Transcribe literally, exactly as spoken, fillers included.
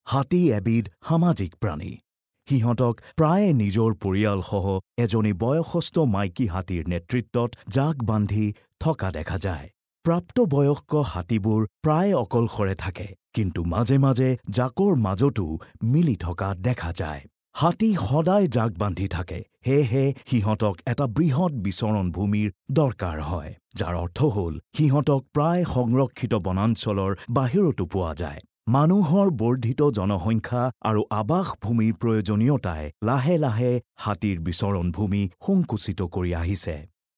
হাতী এবিধ সামাজিক প্ৰাণী। সিহঁতক প্ৰায়ে নিজৰ পৰিয়ালসহ এজনী বয়সস্থ মাইকী হাতীৰ নেতৃত্বত জাক বান্ধি থকা দেখা যায়। প্ৰাপ্তবয়স্ক হাতীবোৰ প্ৰায় অকলশৰে থাকে, কিন্তু মাজে মাজে জাকৰ মাজতো মিলি থকা দেখা যায়। হাতী সদায় জাক বান্ধি থাকে, সেয়েহে সিহঁতক এটা বৃহৎ বিচৰণ ভূমিৰ দৰকাৰ হয়, যাৰ অৰ্থ হ'ল সিহঁতক প্ৰায় সংৰক্ষিত বনাঞ্চলৰ বাহিৰতো পোৱা যায়। মানুহৰ বৰ্ধিত জনসংখ্যা আৰু আৱাসভূমিৰ প্ৰয়োজনীয়তাই লাহে লাহে হাতীৰ বিচৰণ ভূমি সংকুচিত কৰি আহিছে।